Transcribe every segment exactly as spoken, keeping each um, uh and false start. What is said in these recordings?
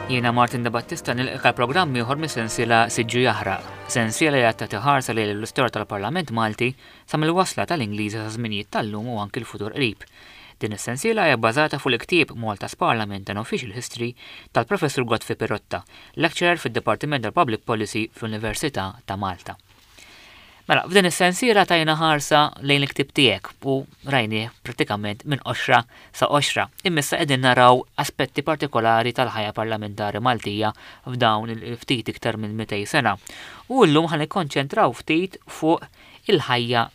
Jiena Martin De Battista nilqgħek għal programm ieħor mis-sensiela Siġġu Jaħraq, sensiela li qed tagħti ħarsa lejn l-istorja tal-Parlament Malti sa mill-wasla tal-Ingliżi sa żminijiet tal-lum u anki l-futur qrib. Din is-sensiela hija bbażata fuq il-ktieb Malta's Parliament and Official History tal-Professur Godfrey Pirotta, lecturer fid-Dipartiment tal-Public Policy fl-Università ta' Malta. Mela, f'din is-sensiela tajna ħarsa lejn il-ktieb tiegħek u rajnieh prattikament minn qoxra sa qoxra. Imma issa qegħdin naraw aspetti partikolari tal-ħajja parlamentari Maltija f'dawn il-ftit iktar minn mitejn sena. U llum ħa nikkonċentraw ftit fuq il-ħajja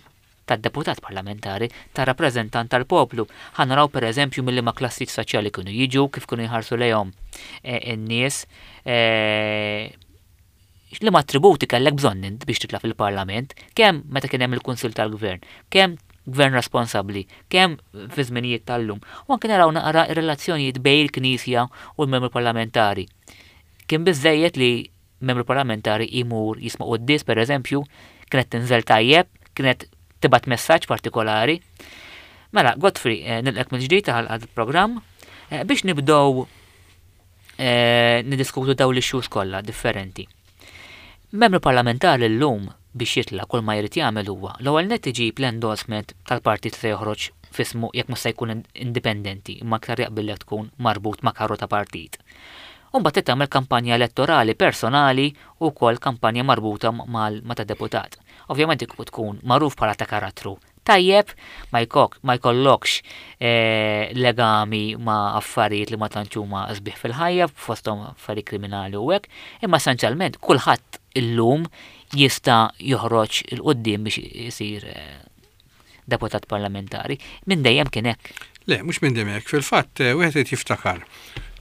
tad-deputat parlamentari, tar-rappreżentant tal-poplu. Ħa naraw, per eżempju, mill ma klassi soċjali kienu jiġu, kif kienu jħarsu lejhom in-nies, li ma attributi kellek bżonn int biex titla' fil-parlament, kemm meta kien hemm il-Kunsill tal-Gvern, kemm gvern responsabbli, kemm fi żminijiet tal-lum. U anke naraw naqra ir-relazzjonijiet bejn il-Knisja u l-membru parlamentari. Kien biżejjed li membru parlamentari imur jisma' quddies, per eżempju, kienet tinżel tajjeb, kienet tibgħat messaġġ partikolari. Mela, Godfrey, nilqgħek mill-ġdid għal programm biex nibdew niddiskutu dawn l-issues kollha differenti. Membru parlamentari llum biex jitla', kull ma jrid jagħmel huwa l-ewwel nett iġib l-endorsement tal-partit se joħroġ f'ismu, jekk mhux se jkun indipendenti, imma aktar jaqbillek tkun marbut ma' karru ta' partit. U mbagħad tagħmel kampanja elettorali personali u wkoll kampanja marbuta ma' ta' deputat. Ovvjament tkun magħruf bħala ta' karattru tajjeb, ma jkok, ma jkollokx eh, legami ma' affarijiet li ma tantx huma sbieħ fil-ħajja, fosthom affarijiet kriminali u hekk, imma essenzjalment kulħadd illum jista' joħroġ 'il quddiem biex isir eh, deputat parlamentari. Minn dejjem kien hekk? Le, mhux minn dejjem hekk. Fil-fatt, eh, wieħed irid jiftakar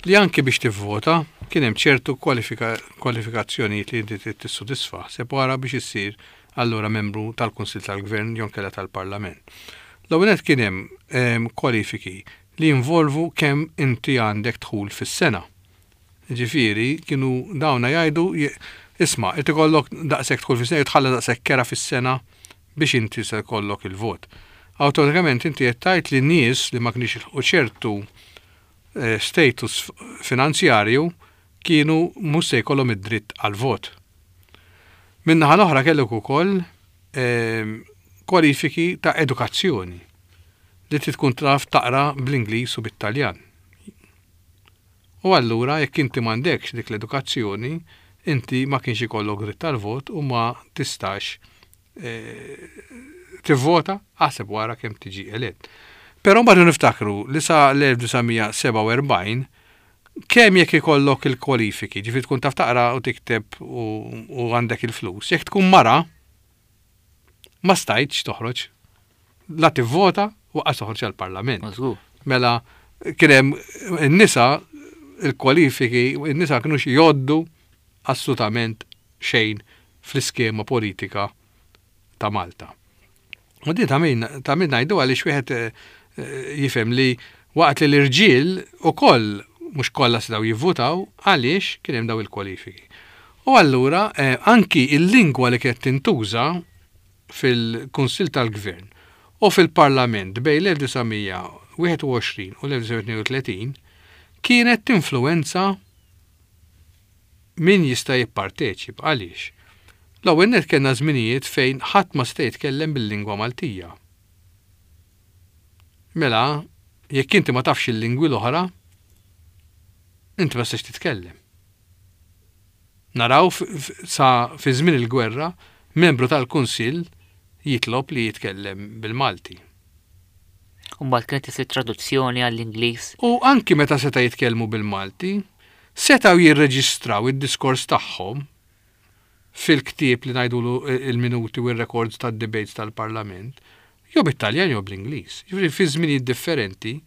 li anki biex tivvota kien hemm ċertu kwalifikazzjonijiet li inti trid tissodisfa se wara biex issir allura membru tal-Kunsill tal-Gvern jew inkella tal-Parlament. L-ewwel kien hemm kwalifiki li jinvolvu kemm inti għandek dħul fis-sena. Ġifieri kienu dawna jgħidu, isma', inti kollok daqshekk dħul fis-sena, tħalla daqshekk kera fis-sena biex inti se jkollok il-vot. Awtomatikament inti qed tgħid li nies li ma kienx ilħqu ċertu eh, status finanzjarju kienu mhux se jkollhom id-dritt għal-vot. Min-naħa l-oħra kellek ukoll ehm, kwalifiki ta' edukazzjoni li trid tkun taf taqra bl-Ingliż u bit-Taljan. U allura jekk inti m'għandekx dik l-edukazzjoni, inti ma kienx ikollok dritt tal-vot u ma tistax eh, tivvota, aħseb wara kemm tiġi elett. Però mbagħad niftakru li sa l-elf disa' mija sebgħa u erbgħin kemm jekk ikollok il-kwalifiki, ġifieri tkun taf taqra u tikteb u għandek il-flus, jekk tkun mara, ma stajtx toħroġ. La tivvota u lanqas toħroġ għal-parlament. Mela, kien hemm in-nisa, il-kwalifiki, in-nisa kienu jgħoddu assolutament xejn fl-iskema politika ta' Malta. U din ta' min ta' min ngħidu, għaliex wieħed eh, jifhem li waqt li l-irġiel ukoll mhux kollha setgħu jivvutaw għaliex kien hemm daw il-kwalifiki. U allura eh, anki il-lingwa li kienet tintuża fil-Kunsill tal-Gvern u fil-Parlament bejn l-elf disa' mija wieħed u għoxrin u l-elf disa' mija tnejn u tletin kienet tinfluenza min jista' jipparteċipa. Għaliex? L-ewwel nett kellna żminijiet fejn ħadd ma seta' jitkellem bil-lingwa Maltija. Mela, jekk inti ma tafx il-lingwi l-oħra, inti ma tistax titkellem. Naraw sa fi żmien il-gwerra membru tal-Kunsill jitlob li jitkellem bil-Malti. U mbagħad kienet isir traduzzjoni għall-Ingliż. U anki meta seta' jitkellmu bil-Malti, setgħu jirreġistraw id-diskors tagħhom fil-ktieb li ngħidulu il-minuti u r-records tad-debates tal-Parlament, jew bit-Taljan jew bl-Ingliż. Jiġifieri fi żminijiet differenti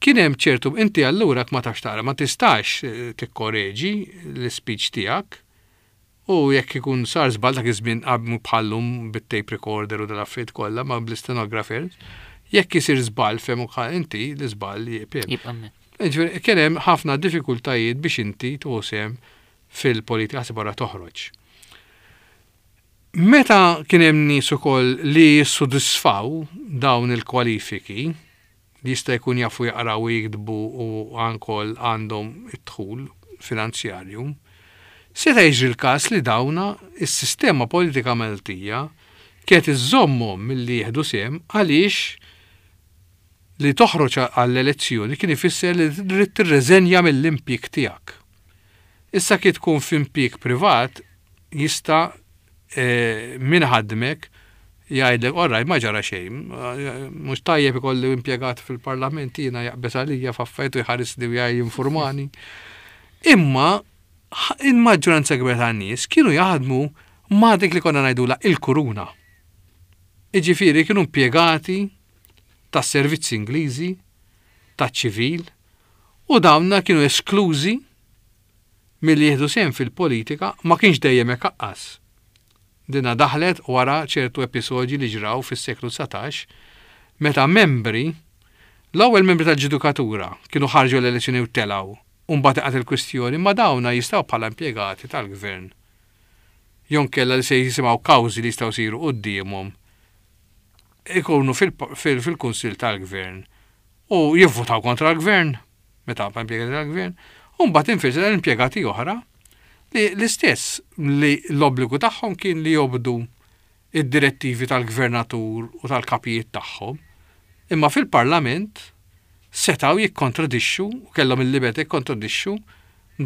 kien hemm ċertu, inti allura ma tafx taqra, ma tistax eh, tikkoreġi l-speech tiegħek u jekk ikun sar żball, dak iż-żmien qabel bħal-lum bit-tape recorder u dal-affarijiet kollha, ma bl-stenographers, jekk isir żball fehmu inti l-iżball jibqa'. Ġifieri kien hemm ħafna diffikultajiet biex inti tuħsem fil-politika, ħaseb wara toħroġ. Meta kien hemm nies ukoll li jissodisfaw dawn il-kwalifiki, li jista' jkun jafu jaqraw u jiktbu u ankoll għandhom id-dħul finanzjarju, seta' jiġri l-każ li dawna is-sistema politika Maltija kienet iżżommhom milli jieħdu sehem għaliex li toħroġ għall-elezzjoni kien ifisser li trid tirreżenja mill-impjieg tiegħek. Issa kif tkun f'impjieg privat jista' eh, min ħadmek jgħidlek orraj ma ġara xejn, mhux tajjeb ikolli impjegat fil-parlament jiena jaqbeż għalija f'affarijiet u jħarisni u jinformani. Imma il-maġġoranza kbira tan-nies kienu jaħdmu ma' dik li konna ngħidula il-kuruna. Iġifieri kienu impjegati tas-servizzi Ingliżi, taċ-ċivil, u dawna kienu esklużi milli jieħdu sehem fil-politika ma kienx dejjem hekk aqqas. Dina daħlet wara ċertu episodji li ġraw fis-seklu dsatax meta membri l-ewwel membri tal-ġudikatura kienu ħarġu l-elezzjoni u telgħu u mbagħad inqat il-kwistjoni ma dawna jistgħu bħala impjegati tal-gvern. Jonkella li se jisimgħu kawżi li jistgħu jsiru quddiemhom ikunu fil-kunsill tal-gvern u jivvutaw kontra l-gvern meta impjegati tal-gvern u mbagħad infirxa l-impjegati oħra li l-istess li l-obbligu tagħhom kien li jobdu id-direttivi tal-gvernatur u tal-kapijiet tagħhom, imma fil-parlament setgħu jikkontradixxu u kellhom il-libertà jikkontradixxu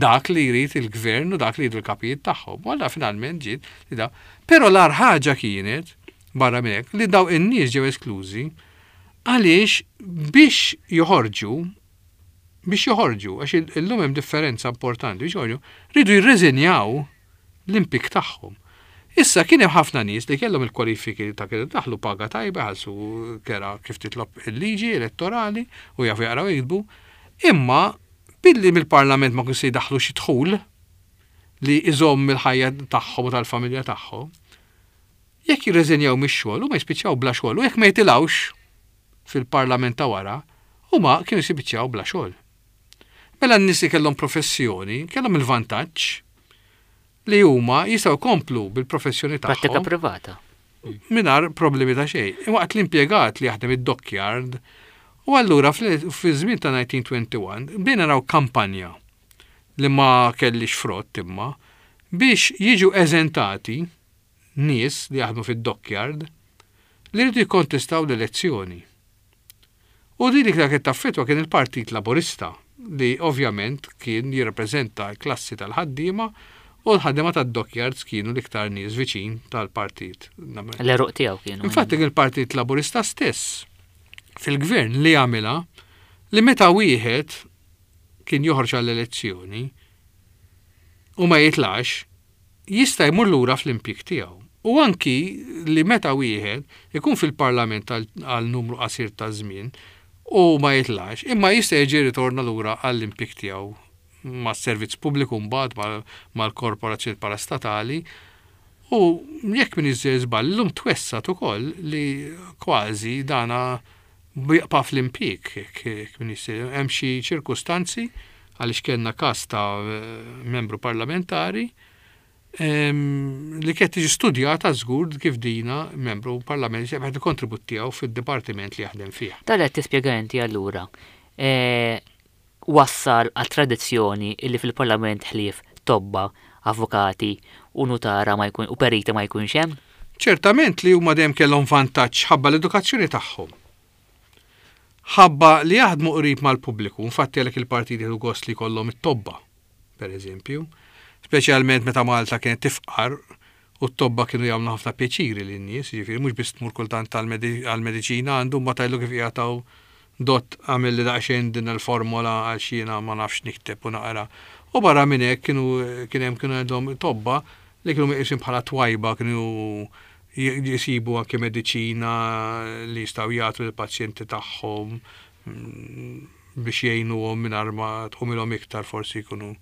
dak li jrid il-gvern u dak li jridu l-kapijiet tagħhom. U allura finalment ġiet li da. Però l-agħar ħaġa kienet barra minn hekk li daw in-nies ġew esklużi għaliex biex joħorġu biex joħorġu, għax illum hemm differenza importanti, biex joħorġu, ridu jirreżenjaw l-impjieg tagħhom. Issa kien hemm ħafna nies li kellhom il-kwalifiki ta' kienu daħlu paga tajba, ħallsu kera kif titlob il-liġi elettorali u jafu jaqraw jiktbu, imma billi mill-parlament ma kienu se jdaħħlu xi dħul li iżomm il-ħajja tagħhom u tal-familja tagħhom, jekk jirreżenjaw mix-xogħol huma jispiċċaw bla xogħol u jekk ma jitilgħux fil-parlament ta' wara, huma kienu jispiċċaw bla xogħol. Mela n-nies li kellhom professjoni kellhom il-vantaġġ li huma jistgħu jkomplu bil-professjoni tagħhom. Prattika privata. Mingħajr problemi ta' xejn. Waqt l-impjegat li jaħdem id-dockyard, u allura fi żmien ta' nineteen twenty-one bdejna naraw kampanja li ma kellix frott imma biex jiġu eżentati nies li jaħdmu fid-dockyard li rridu jikkontestaw l-elezzjoni. U din li kienet taffetwa kien il-Partit Laburista li ovvjament kien jirrappreżenta l-klassi tal-ħaddiema u l-ħaddiema tad-dockyards kienu l-iktar nies viċin tal-partit. L-eruq tiegħu kienu. Infatti kien il-Partit Laburista stess fil-gvern li għamilha li meta wieħed kien joħroġ għall-elezzjoni u ma jitlax, jista' jmur lura fl-impjieg tiegħu. U anki li meta wieħed ikun fil-parlament għal numru qasir ta' żmien u ma jitlax, imma jista' jiġi ritorna lura għall-impjieg tiegħu mas-servizz pubbliku mbagħad mal-korporazzjoni parastatali. U jekk min iżżej żball, illum twessat ukoll li kważi dana jibqa' fl-impjieg, jekk min iżżej. Hemm xi ċirkustanzi għaliex kellna każ ta' membru parlamentari li kienet tiġi studjata żgur kif dina membru parlamentari se jagħti kontribut tiegħu fid-dipartiment li jaħdem fih. Dan qed tispjega inti allura, e, wassal għal tradizzjoni illi fil-parlament ħlief tobba, avukati u nutara ma jkun u periti ma jkunx hemm? Ċertament li huma dejjem kellhom vantaġġ ħabba l-edukazzjoni tagħhom. Ħabba li jaħdmu qrib mal-pubbliku, infatti għalhekk il-partiti jieħdu gost li jkollhom it-tobba, per eżempju, speċjalment meta Malta kienet tifqar u t-tobba kienu jagħmlu ħafna pjaċiri lin-nies, jiġifieri mhux biss tmur kultant għall-mediċina għandu ma tgħidlu kif jagħtaw dott għamil li daqsxejn din il-formola għal xi jiena ma nafx nikteb u naqra. U barra minn hekk kienu kien hemm kienu għandhom tobba li kienu meqjusin bħala twajba, kienu jisibu anke mediċina li jistgħu jagħtu lill-pazjenti tagħhom biex jgħinuhom mingħajr ma tqumilhom iktar forsi jkunu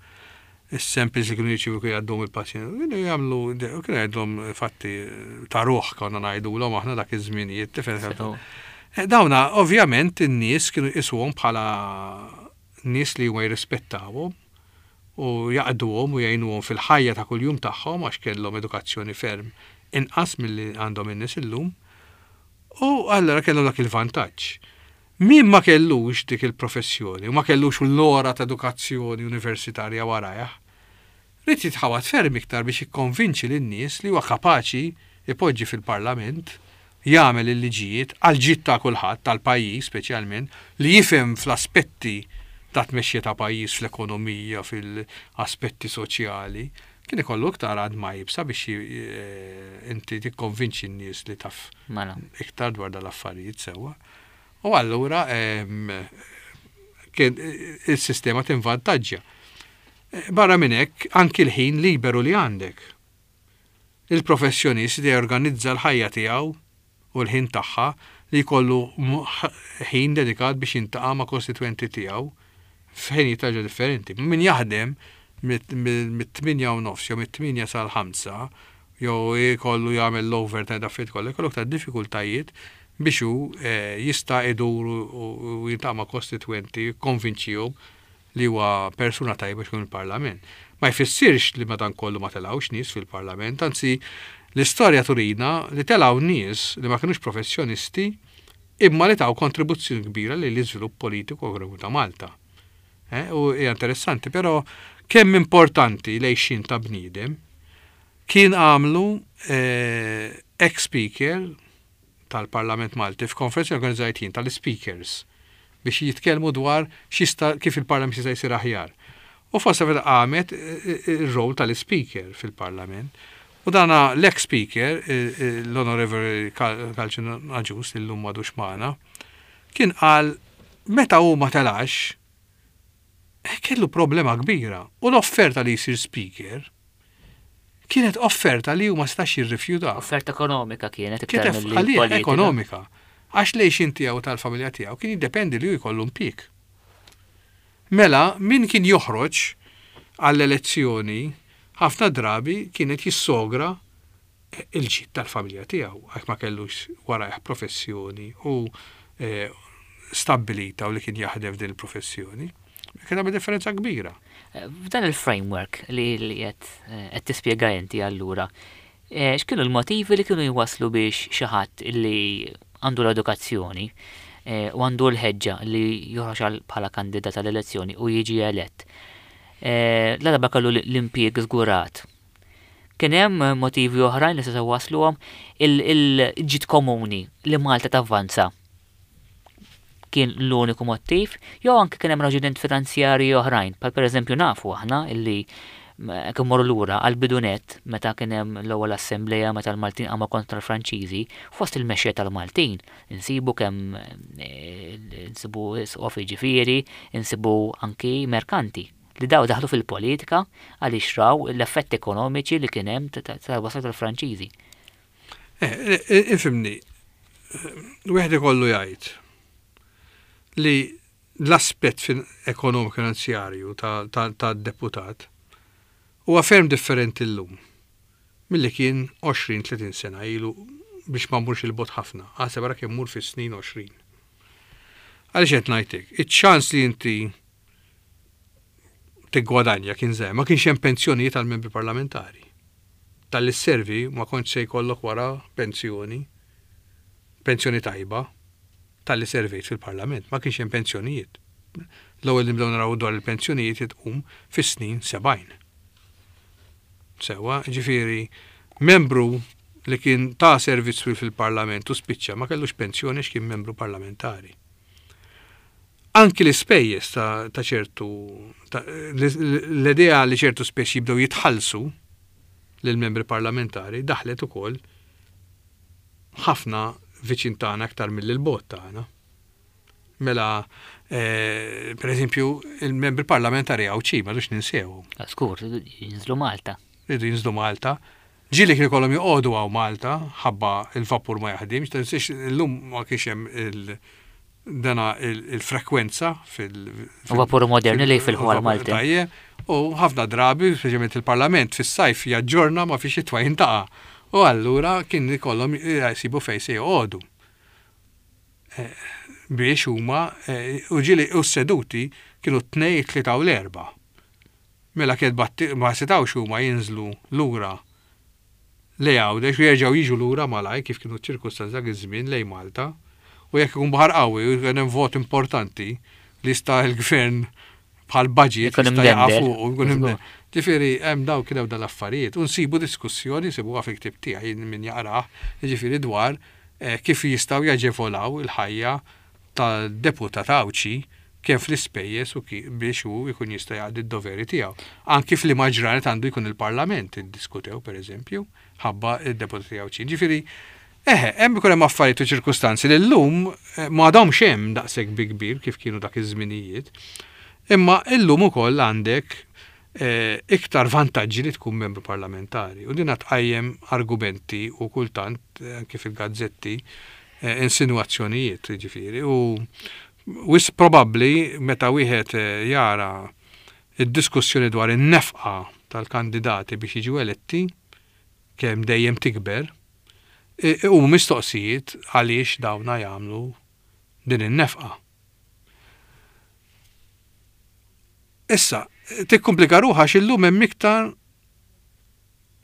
is-samples li kienu jirċievu kienu jgħaddhom il-pazjenti. Kienu jagħmlu, kienu jgħidlhom fatti ta' ruħ konna ngħidulhom aħna dak iż-żminijiet, tifhem? Sew. Eh, dawna ovvjament in-nies kienu jqisuhom bħala nies li huma jirrispettawhom u jaqduhom u jgħinuhom fil-ħajja ta' kuljum tagħhom għax kellhom edukazzjoni ferm inqas milli għandhom in-nies illum. U allura kellhom dak il-vantaġġ. Min ma kellux dik il-professjoni u ma kellux l-ora ta' edukazzjoni universitarja warajh, ried jitħawad ferm iktar biex jikkonvinċi lin-nies li huwa kapaċi ipoġġi fil-Parlament, jagħmel il-liġijiet għal ġid ta' kulħadd tal-pajjiż speċjalment, li jifhem fl-aspetti ta' tmexxija ta' pajjiż, fl-ekonomija, fil-aspetti soċjali, kien ikollu iktar għadma iebsa biex inti tikkonvinċi n-nies li taf iktar dwar dal-affarijiet sewwa. U allura kien il-sistema tinvantaġġja. Barra minn hekk, anki l-ħin liberu li għandek. Il-professjonist li jorganizza l-ħajja tiegħu u l-ħin tagħha li jkollu ħin dedikat biex jiltaqa' ma' kostitwenti tiegħu f'ħinijiet ħaġa differenti. Min jaħdem mit-tmienja u nofs jew mit-tmienja sal-ħamsa jew jkollu jagħmel l-overtime da affarijiet kollha, jkollu aktar diffikultajiet biex hu jista' idur u jiltaqa' ma' kostitwenti, jikkonvinċihom li huwa persuna tajba biex ikun il-Parlament. Ma jfissirx li madankollu ma telgħux nies fil-Parlament, anzi l-istorja turina li telgħu nies li ma kinux professjonisti imma li taw kontribuzzjoni kbira li l-iżvilupp politiku ekonomiku ta' Malta. U hija interessanti, però kemm importanti l-għixien ta' bniedem kien għamlu ex-speaker tal-Parlament Malti f'konferenza organizzajt jien tal-speakers biex jitkellmu dwar x'jista' kif il-Parlament jista' jsir aħjar. U fost meta qamet ir-rol tal-speaker fil-Parlament. U dana l-ex-speaker, l-Onorevoli Kalċin Agius, li llum m'għadux magħna, kien qal meta hu ma telax, kellu problema kbira. U l-offerta li jsir speaker kienet offerta li hu ma setax jirrifjuta. Offerta ekonomika kienet iktar Kienet milli għalih politika. Ekonomika. Għax l-għixien tiegħu tal-familja tiegħu kien jiddependi li hu jkollu impjieg. Mela, min kien joħroġ għall-elezzjoni ħafna drabi kienet jissogra il-ġid tal-familja tiegħu, għax ma kellux warajh professjoni u eh, stabbilita u li kien jaħdem f'din il-professjoni. Kien hemm differenza kbira. F'dan il-framework li li qed qed tispjega inti allura, eh, x'kienu l-motivi li kienu jwaslu biex xi ħadd li għandu l-edukazzjoni eh, u għandu l-ħeġġa li joħroġ għal bħala kandidat għall-elezzjoni u jiġi elett. Eh, La darba kellu l-impjieg żgurat. Kien hemm motivi oħrajn li setgħu wasluhom il-ġid komuni li Malta tavvanza kien l-uniku motiv, jew anke kien hemm raġunijiet finanzjarji oħrajn, bħal pereżempju nafu aħna illi kien morru lura għal bidunet meta kien hemm l-ewwel assembleja meta l-Maltin qamu kontra l-Franċiżi, fost il-mexxej tal-Maltin insibu kemm insibu isqof jiġifieri, insibu anki merkanti li daw daħlu fil-politika għaliex raw l-effetti ekonomiċi li kien hemm tal-wasla tal-Franċiżi. Eh, ifhimni, wieħed ikollu jgħid li l-aspett ekonomiku finanzjarju ta' deputat huwa ferm differenti llum milli kien għoxrin tletin sena ilu, biex ma mmurx 'il bogħod ħafna, għaseb ara kemm mur fis-snin għoxrin. Għaliex qed ngħidlek, iċ-ċans li inti tiggwadanja kien żgħir, ma kienx hemm pensjonijiet għal membri parlamentari. Talli sservi ma kontx se jkollok wara pensjoni, pensjoni tajba, talli servejt fil-parlament, ma kienx hemm pensjonijiet. L-ewwel nibdew naraw dwar il-pensjonijiet tqum fis-snin sebgħin. Sewwa, ġifieri, membru li kien ta' servizz fil-parlament u spiċċa ma kellux pensjoni x'kien membru parlamentari. Anki l-ispejjeż ta', ta ċertu l-idea li ċertu spejjeż jibdew jitħallsu lill-membri parlamentari daħlet ukoll ħafna viċin tagħna aktar mill-bogħod tagħna. Mela, eh, per eżempju, il-membri parlamentari Għawdxin, ma dux ninsew. Skur, jinżlu Malta. Ridu jinżlu Malta. Ġieli kien ikollhom joqogħdu hawn Malta, ħabba il-vapur ma jaħdimx, tinsiex illum ma kienx hemm il- dana il-frekwenza fil- Vapur moderni li fil-ħwal Malti. Tajjeb, u ħafna drabi, speċjalment il-Parlament fis-sajf jaġġorna ma fi xitwa jintaqa'. U allura kien ikollhom jsibu fejn se joqogħdu. Eh, biex huma eh, u ġieli u s-seduti kienu t-tnejn, tlieta u l-erba. Mela kien ma setawx huma jinżlu lura lejn Għawdex u jerġgħu jiġu lura malaj kif kienu ċ-ċirkustanzi dak iż-żmien lejn Malta. U jekk ikun baħar qawwi u jkun hemm vot importanti li jista' l-gvern bħal budget jista' jaqa' fuq u jkun hemm. Ġifieri hemm daw kien hemm dal-affarijiet u nsibu diskussjoni, nsibuha fil-ktieb tiegħi min jaqrah, jiġifieri dwar kif jistgħu jaġevolaw il-ħajja tal-deputat Għawdxi kemm fl-ispejjeż u biex hu jkun jista' jaqdi d-doveri tiegħu. Anki f'liema ġranet għandu jkun il-Parlament iddiskutew pereżempju ħabba d-deputati Għawdxin. Ġifieri eħe, hemm ikun hemm affarijiet u ċirkustanzi li llum ma għadhomx hemm daqshekk bi kbir kif kienu dak iż-żminijiet. Imma illum ukoll għandek iktar vantaġġi li tkun membru parlamentari. U din tqajjem argumenti u kultant anke fil-gazzetti insinuazzjonijiet, ġifieri. U wis probabbli meta wieħed jara id-diskussjoni dwar in-nefqa tal-kandidati biex jiġu eletti, kemm dejjem tikber, u mistoqsijiet għaliex dawna jagħmlu din in-nefqa. Issa, tikkomplika ruħha għax illum hemm iktar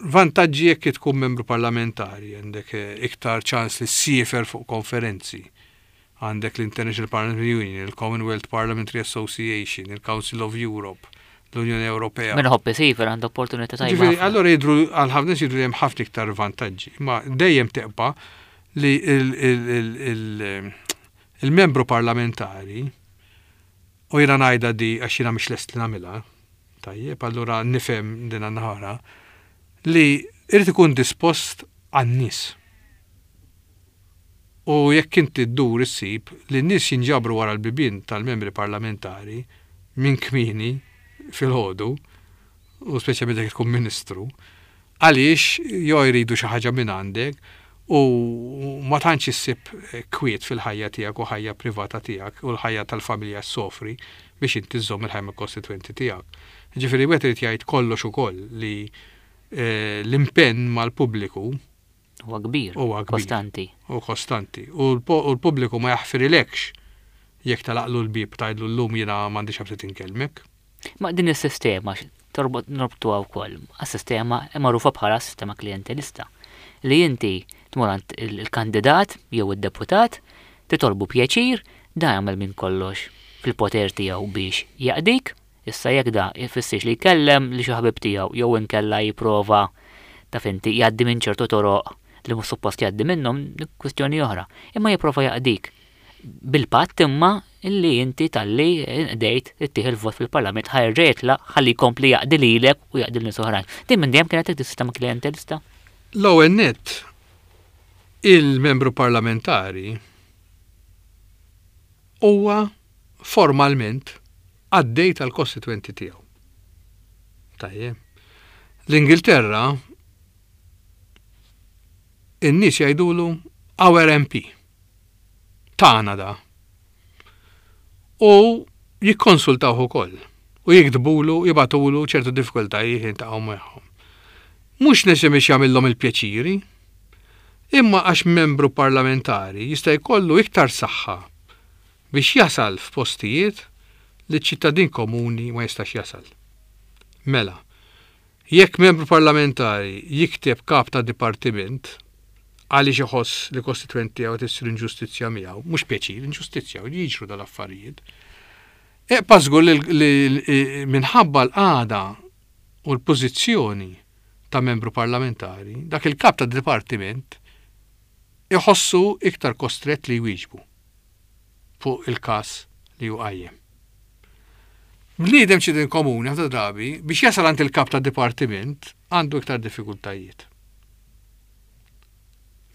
vantaġġi jekk tkun membru parlamentari, għandek iktar ċans li ssiefer fuq konferenzi, għandek l-International Parliamentary Union, il-Commonwealth Parliamentary Association, il-Council of Europe, l-Unjoni Ewropea. Min iħobb isiefer għandu opportunità tajba. Ġifieri, allura jidhru għal ħafna nies jidhru li hemm ħafna iktar vantaġġi, imma dejjem teqpa' li il-membru parlamentari, u jiena ngħidha di għax jiena mhix lest li nagħmilha, tajjeb, allura nifhem din in-naħara, li irid ikun dispost għan-nies. U jekk inti ddur issib li n-nies jinġabru wara l-bibien tal-membri parlamentari minn kmieni fil-ħodu, u speċjalment jekk tkun ministru, għaliex jew jridu xi ħaġa minn għandek u ma tantx issib kwiet fil-ħajja tiegħek u ħajja privata tiegħek u l-ħajja tal-familja ssofri biex inti żżomm il-ħajja mal-kostitwenti tiegħek. Ġifieri wieħed irid jgħid kollox ukoll li l-impenn mal-pubbliku huwa kbir, huwa kbir. Kostanti. U kostanti. U l-pubbliku ma jaħfirilekx jekk talaqlu l-bieb tgħidlu llum jiena m'għandix aptit inkellmek. Ma din is-sistema torbot norbtuha wkoll għas-sistema magħrufa bħala sistema klientelista li inti tmur għand il-kandidat jew id-deputat titolbu pjaċir, da jagħmel minn kollox fil-poter tiegħu biex jaqdik. Issa jekk da jfissirx li jkellem li xi ħabib tiegħu jew inkella jipprova taf inti jgħaddi minn ċertu toroq li mhux suppost jgħaddi minnhom, kwistjoni oħra. Imma jipprova jaqdik bil-patt imma illi inti talli nqdejt ittieħ il-vot fil-Parlament ħa jerġa' jitlaq ħalli jkompli jaqdi lilek u jaqdi lil nies oħrajn. Din minn dejjem kienet is-sistema klientelista? L-ewwel nett il-membru parlamentari huwa formalment għaddej tal-kostitwenti tiegħu. Tajjeb. L-Ingilterra in-nies jgħidulu our M P. Tagħna da. U jikkonsultawh ukoll u jiktbulu, jibatulu ċertu diffikultajiet jintaqgħu magħhom. Mhux neċessarjament biex jagħmilhom il-pjaċiri, imma għax membru parlamentari jista' jkollu iktar saħħa biex jasal f'postijiet li ċ-ċittadin komuni ma jistax jasal. Mela, jekk membru parlamentari jikteb kap ta' dipartiment għaliex iħoss li kostitwenti tiegħu qed issir inġustizzja miegħu, mhux pjaċir, inġustizzja, u jiġru dal-affarijiet. Eqpa' żgur li, li, li minħabba l-qagħda u l-pożizzjoni ta' membru parlamentari, dak il-kap ta' dipartiment iħossu iktar kostrett li jwieġbu fuq il-każ li hu qajjem. Bniedem ċittadin komuni ħafna drabi biex jasal għand il-kap ta' dipartiment għandu iktar diffikultajiet.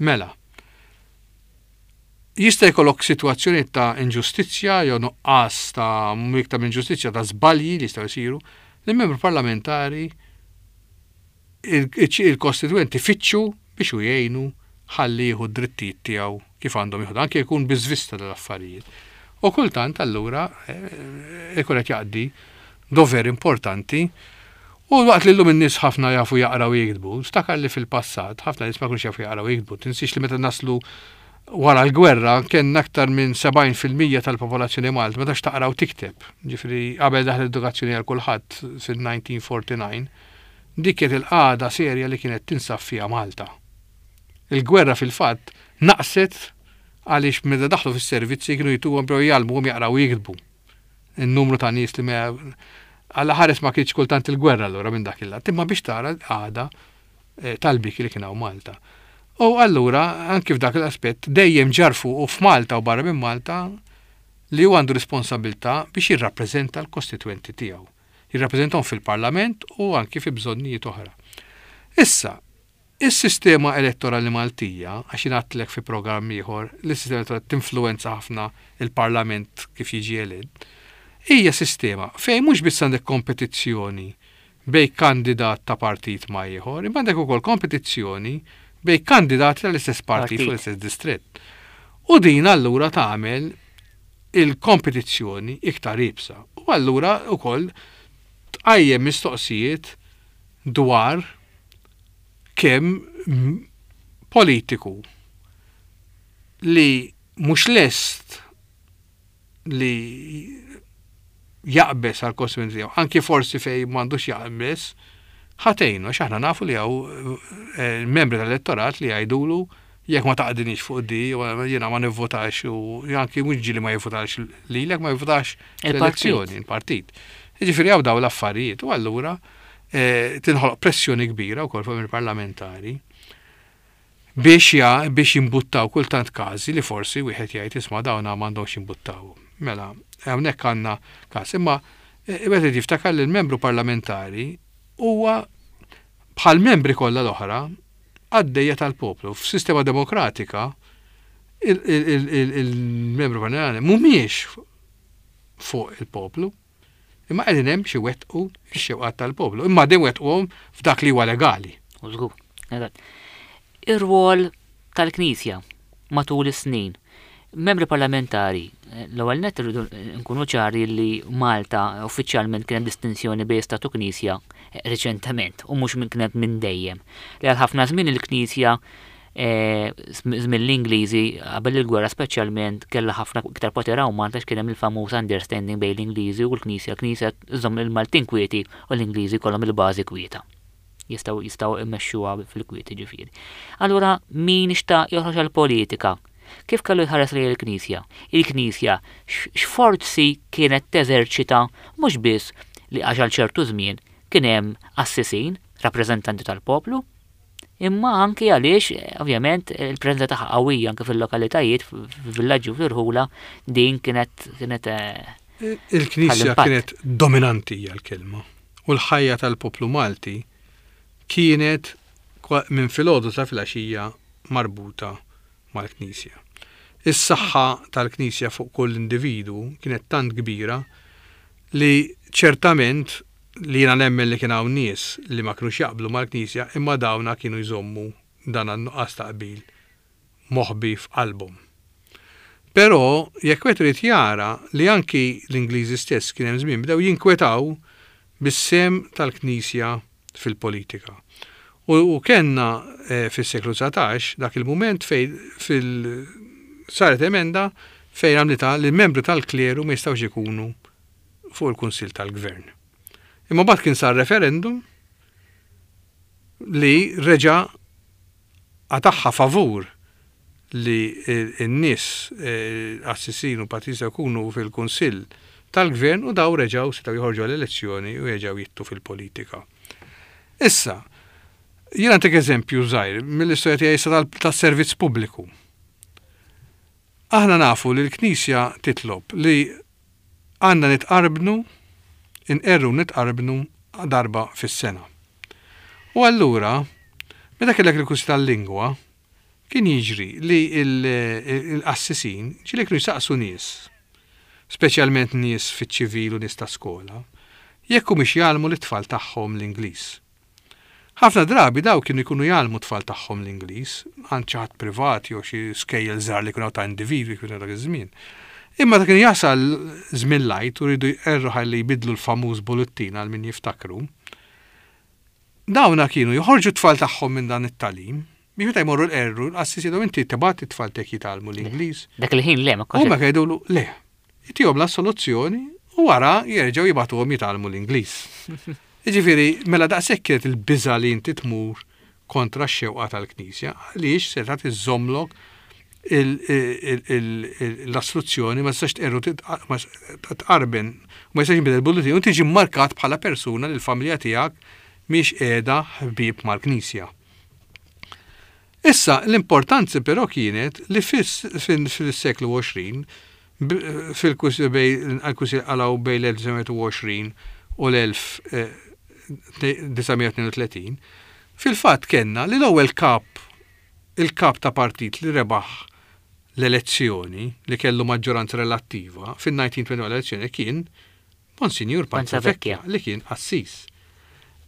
Mela, jista' jkollok sitwazzjoni ta' inġustizzja jew nuqqas ta' iktar minn inġustizzja ta' żbalji li jistgħu jsiru li membru parlamentari il-kostitwenti fittxu biex u jgħinu ħalli jieħu d-drittijiet tiegħu kif għandhom jieħdu, anke jkun biżvista dal-affarijiet. U kultant allura ikun qed jaqdi dover importanti. U waqt li llum in-nies ħafna jafu jaqraw u jiktbu, ftakar li fil-passat ħafna nies ma kinux jafu jaqraw u jiktbu. Tinsiex li meta naslu wara l-gwerra kien aktar minn sebgħin fil-mija tal-popolazzjoni Malta ma tafx taqra u tikteb. Ġifieri qabel daħlet l-edukazzjoni għal kulħadd fil-nineteen forty-nine, dik kienet il-qagħda serja li kienet tinsab fiha Malta. Il-gwerra fil-fatt naqset Għaliex meta daħlu fis-servizzi kienu jtuhom bdew jgħallmuhom jaqraw u jiktbu. In-numru ta' nies li ma Alla ħares ma kienx kultant il-gwerra allura minn dak il-lat, imma biex tara l-qagħda eh, tal-biki li kien hawn Malta. U allura anki f'dak l-aspett dejjem ġarfu u f'Malta u barra minn Malta li hu għandu responsabilità biex jirrappreżenta l-kostitwenti tiegħu. Jirrappreżentahom fil-Parlament u anki fi bżonnijiet oħra. Issa, is-sistema elettorali Maltija, għax jien fi programm ieħor, li s-sistema elettorali tinfluwenza ħafna il-Parlament kif jiġi elett, hija sistema fejn mhux biss għandek kompetizzjoni bejn kandidat ta' partit ma' ieħor, imma għandek ukoll kompetizzjoni bejn kandidati tal-istess partit fuq l-istess distrett. U din allura tagħmel il-kompetizzjoni iktar iebsa. U allura ukoll tqajjem mistoqsijiet dwar kemm politiku li mhux lest li jaqbes għal kostitwenti tiegħu, anki forsi fej m'għandux jaqbes, ħa tgħinu, għax aħna nafu li hawn eh, membri tal-elettorat li jgħidulu jekk ma taqdinix fuq di, jiena ma nivvotax u anki mhux ġieli ma jivvotax lilek, ma jivvotax l-elezzjoni, il-partit. Jiġifieri hawn dawn l-affarijiet u allura eh, tinħoloq pressjoni kbira wkoll fuq il-parlamentari biex ja biex jimbuttaw kultant każi li forsi wieħed jgħid, isma', dawna m'għandhomx jimbuttaw. Mela, hawnhekk għandna każ. Imma eh, wieħed jiftakar li l-membru parlamentari huwa bħal membri kollha l-oħra qaddejja tal-poplu. F'sistema demokratika il-membru parlamentari mhumiex fuq il-poplu, imma qegħdin hemm biex iwettqu x-xewqat tal-poplu. Imma din wettquhom f'dak li huwa legali. U żgur. Ir-rwol tal-Knisja matul is-snin. Membri parlamentari, l-ewwel nett irridu nkunu ċari li Malta uffiċjalment kien hemm distinzjoni bejn Stat u Knisja reċentement u mhux minn kienet minn dejjem. Li għal ħafna żmien il-Knisja, eh, żmien l-Ingliżi, qabel il-gwerra speċjalment, kellha ħafna iktar poter hawn Malta, kien hemm il-famuż understanding bejn l-Ingliżi u l-Knisja. L-Knisja żżomm il-Maltin kwieti u l-Ingliżi kollhom il-bażi kwieta. Jistgħu jistgħu immexxuha fil-kwieti ġifieri. Allura min xtaq joħroġ għall-politika, kif kellu jħares lejn il-Knisja? Il-Knisja x'forzi kienet teżerċita, mhux biss li għax għal ċertu żmien kien hemm qassisin, rappreżentanti tal-poplu, imma anki għaliex ovvjament il-preżenza tagħha qawwija anke fil-lokalitajiet, fil-villaġġi u fil-rħula, din kienet kienet eh, Il-Knisja kienet dominanti hija l-kelma. U l-ħajja tal-poplu Malti kienet minn filgħodu sa filgħaxija marbuta mal-Knisja. Is-saħħa tal-Knisja fuq kull individu kienet tant kbira li ċertament li jiena nemmen li kien hawn nies li ma kinux jaqblu mal-Knisja, imma dawna kienu jżommu dan għan-nuqqas ta' qbil moħbi f'qalbhom. Però jekk wieħed irid jara li anki l-Ingliżi stess kien hemm żmien bdew jinkwetaw bis-sehem tal-Knisja fil-politika. U, u kellna eh, fis-seklu dsatax dak il-mument fejn fil saret emenda fejn għamlita li l-membri tal-kleru ma jistgħux ikunu fuq il-Kunsill tal-Gvern. Imma mbagħad kien sar referendum li reġa' qatagħha favur li n-nies qassisin u patrizi jkunu fil-Kunsill tal-Gvern u daw reġgħu setgħu joħorġu għall-elezzjoni u jerġgħu jidħlu fil-politika. Issa, jiena ntik eżempju żgħir mill-istorja tiegħi issa tas-servizz pubbliku. Aħna nafu li l-Knisja titlob li għandna nitqarbnu, inqerru nitqarbnu darba fis-sena. U allura, meta kellek il-kursi tal-lingwa, kien jiġri li l-qassisin ġieli kienu jsaqsu nies, speċjalment nies fiċ-ċivil u nies ta' skola, jekk humiex jgħallmu lit-tfal tagħhom l-Ingliż. Ħafna drabi daw kienu jkunu jgħallmu tfal tagħhom l-Ingliż, għand xi ħadd privat jew xi skejjel żgħar li kienu ta' individwi kienu dak iż-żmien. Imma ta' kien jasal żmien l-Għid u rridu jqerru ħalli jbidlu l-famuż bullettin, għal min jiftakru. Dawna kienu joħorġu t-tfal tagħhom minn dan it-tagħlim, biex meta jmorru l-qerru, l-qassis jgħidu, "Inti tibgħat it-tfal tiegħek jitgħallmu l-Ingliż?" Dak il-ħin le, ma Huma jgħidulu le. Itihom la soluzzjoni u wara jerġgħu jibgħatuhom jitgħallmu l-Ingliż. Jiġifieri, mela daqshekk kienet il-biża li inti tmur kontra x-xewqa tal-Knisja, għaliex setgħet iżżommlok L-assoluzzjoni, ma tistax tqerru, tqarben, ma jistax jinbidel bulletin u tiġi markat bħala persuna li l-familja tiegħek mhix qiegħda ħbieb mal-Knisja. Issa, l-importanza però kienet li fis-seklu għoxrin, fil-kwistjoni għalaw bejn l-elf disa' mija u għoxrin u l-elf disa' mija tnejn u tletin, fil-fatt kellna li l-ewwel kap, il-kap ta' partit li rebaħ l-elezzjoni, li kellu maġġoranza relattiva fin-elf disa' mija u wieħed u għoxrin elezzjoni, kien Monsignor Panzavecchia, li kien qassis.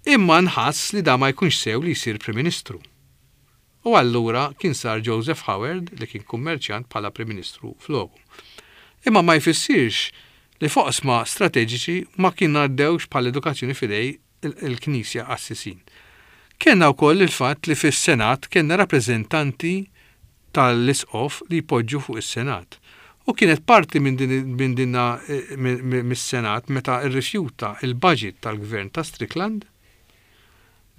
Imma nħass li da ma jkunx sew li jsir Prim Ministru. U allura kien sar Joseph Howard, li kien kummerċjant, bħala Prim Ministru floku. Imma ma jfissirx li f'oqsma strateġiċi ma kien għaddewx bħal edukazzjoni f'idejn il-Knisja, qassisin. Kellna wkoll il-fatt li fis-Senat kellna rappreżentanti tal-Isqof li jpoġġu fuq is-Senat. U kienet parti minn din dinna eh, mis-Senat meta rrifjuta il-budget tal-gvern ta' Strickland,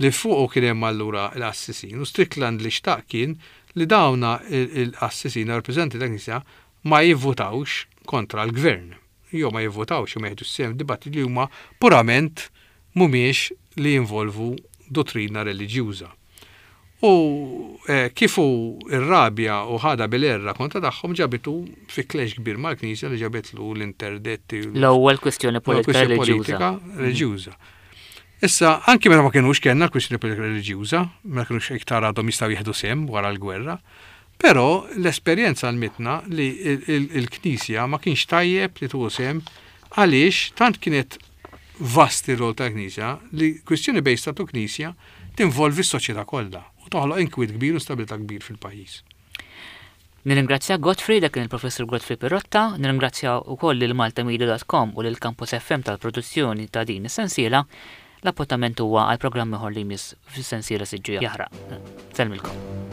li fuqu kien hemm allura l-qassisin, u Strickland li xtaq kien li dawna il-qassisin, rappreżentanti tal-Knisja, ma jivvutawx kontra l-gvern. Jew ma jivvutawx u ma jieħdu sehem dibattiti li huma purament mhumiex li jinvolvu dottrina reliġjuża. U eh, kif hu irrabja u ħada bil-erra kontra tagħhom, ġabitu fi clash kbir mal-Knisja li ġabitlu l-interdetti. L-ewwel kwistjoni politika reliġjuża. Reliġjuża. Issa, anki meta ma kienux kellna l-kwistjoni politika reliġjuża, ma kienux iktar għadhom jistgħu jieħdu sehem wara l-gwerra, però l-esperjenza għallmitna li il-Knisja ma kienx tajjeb li tieħu sehem, għaliex tant kienet vast ir-rol tal-Knisja li kwistjoni bejn statu Knisja tinvolvi s-soċjetà kollha u toħloq inkwiet kbir u instabilità kbir fil-pajjiż. Nirringrazzja Godfrey, dak kien il-Professor Godfrey Pirotta, nirringrazzja wkoll lil maltamedia punt com u lil Campus F M tal-produzzjoni ta' din is-sensiela. L-appuntament huwa għal programm ieħor li jmiss fis-sensiela Siġġu Jaħraq. Sellmilkom.